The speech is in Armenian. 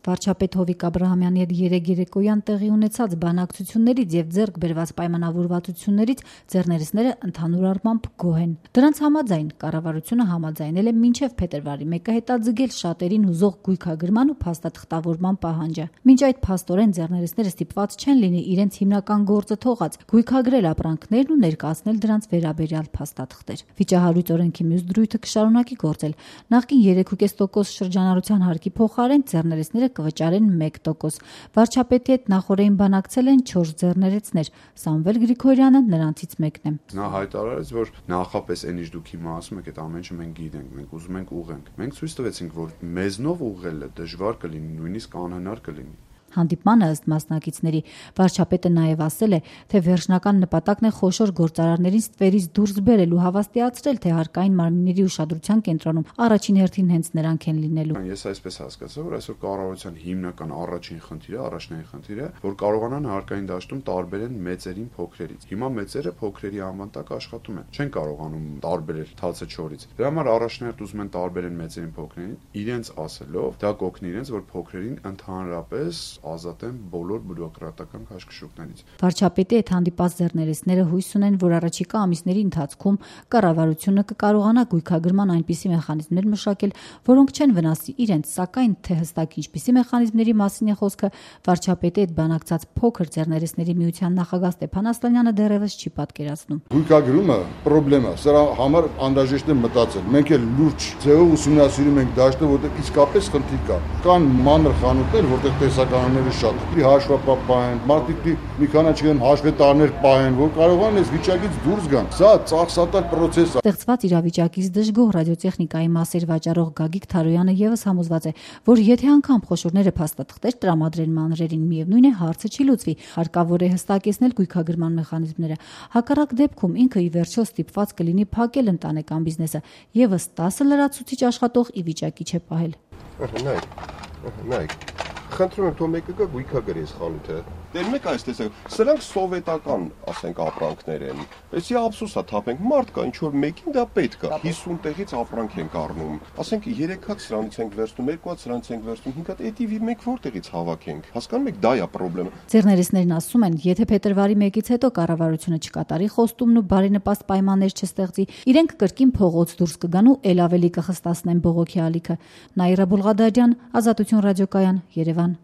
Վարչապետ Հովիկ Աբրահամյանի հետ երեկոյան տեղի ունեցած բանակցություններից եւ ձեռք բերված պայմանավորվածություններից ձեռներեցները ընդհանուր առմամբ գոհ են։ Դրանց համաձայն կառավարությունը համաձայնել է մինչեւ փետրվարի 1-ը հետաձգել շատերին հուզող գույքագրման ու փաստաթղթավորման պահանջը։ Մինչ այդ փաստորեն ձեռներեցները ստիպված չեն լինի իրենց հիմնական գործը թողած գույքագրել ապրանքներն ու ներկայացնել դրանց վերաբերյալ փաստաթղթեր։ Վիճահարույց օրենքի մյուս դրույթը կշարունակի գործել։ Նախկին 3.5% շրջանառության հարկի փոխարեն ձեռներեցները կվճարեն 1%։ Վարչապետի հետ նախորդին բանակցել են 4 ձեռներեցներ։ Սամվել Գրիգորյանը նրանցից մեկն է։ Նա հայտարարեց, որ նախապես այն ինչ դուք հիմա ասում եք, այդ ամեն ինչը մենք գիտենք, մենք ուզում ենք ուղենք։ Մենք ցույց տվեցինք, որ մեզնով ուղղելը դժվար կլինի, նույնիսկ անհնար կլինի։ Հանդիպմանը ըստ մասնակիցների վարչապետը նաև ասել է, թե վերջնական նպատակն է խոշոր գործարարներին ստվերից դուրս բերել ու հավաստիացրել, թե հարկային մարմինների ուշադրության կենտրոնում առաջին հերթին հենց նրանք են լինելու։ Ես այսպես հասկացա, որ այսօր կառավարության հիմնական առաջնային խնդիրը, որ կարողանան հարկային դաշտում տարբերեն մեծերին փոքրերից։ Հիմա մեծերը փոքրերի անվան տակ աշխատում են, չեն կարողանում տարբերել թացը չորից։ Դրա համար առաջնահերթ ուզում են տարբերեն մեծերին փոքրերին, իրենց ասելով, դա կօգնի իրենց, որ փոքրերին ընդհանրապես ազատեն բոլոր բյուրոկրատական քաշքշուկներից։ Վարչապետի հետ հանդիպած ձեռներեցները հույս ունեն, որ առաջիկա ամիսների ընթացքում կառավարությունը կկարողանա գույքագրման այնպիսի մեխանիզմներ մշակել, որոնք չեն վնասի իրենց, սակայն թե հստակ ինչպիսի մեխանիզմների մասին է խոսքը, վարչապետի հետ բանակցած փոքր ձեռներեցների միության նախագահ Ստեփան Ասլանյանը դեռևս չի պատկերացնում։ Գույքագրումը խնդրեմ է, սրա համար անհրաժեշտ է մտածել։ Մենք էլ լուրջ ձևով ուսումնասիրում ենք դաշտը, որտեղ իսկապես խնդիր կա։ Կան մանր խանութներ, որտեղ տեսականները շատ հաշվապահ են, մարդիկ մի քանի չգիտեմ հաշվետարներ պահեն, որ կարողան այս վիճակից դուրս գան։ Սա ծախսատար պրոցես է։ Ստեղծված իրավիճակից դժգոհ ռադիոտեխնիկայի մասեր վաճառող Գագիկ Թարոյանը եւս համոզված է, որ եթե անգամ խոշորները փաստաթղթեր տրամադրեն մանրերին, միևնույն է հարցը չի լուծվի, հարկավոր է հստակեցնել գույքագրման մեխանիզմները։ Հակառակ դեպքում ինքը ի վերջո ստիպված կլինի փակել ընտանեկան բիզնեսը, եւս 10 լրացուցիչ աշխատող ի վիճակի չէ պահել։ Նայեք, խնդրում եմ, թող մեկը գա գույքագրի այս խանութը։ Դեր մեկ այս տեսեք, սրանք սովետական, ասենք, ապրանքներ են։ Էսի ափսոս է թափենք, մարդ կա, ինչ որ մեկին դա պետք է։ 50 տեղից ապրանք ենք առնում։ Ասենք 3 հատ սրանից ենք վերցնում, 2 հատ սրանից ենք վերցնում, 5 հատ էդիվի մենք որտեղից հավաքենք։ Հասկանում եք, դա է խնդրեմը։ Ձեռներեցներն ասում են, եթե փետրվարի 1-ից հետո կառավարությունը չկատարի խոստումն ու բարենպաստ պայմաններ չստեղծի, իրենք կրկին փողոց դուրս կգան ու ել ավելի կխստացնեն բողոքի ալիքը։ Նաիրա Բուլղադարյան, Ազատություն ռադիոկայան, Երևան։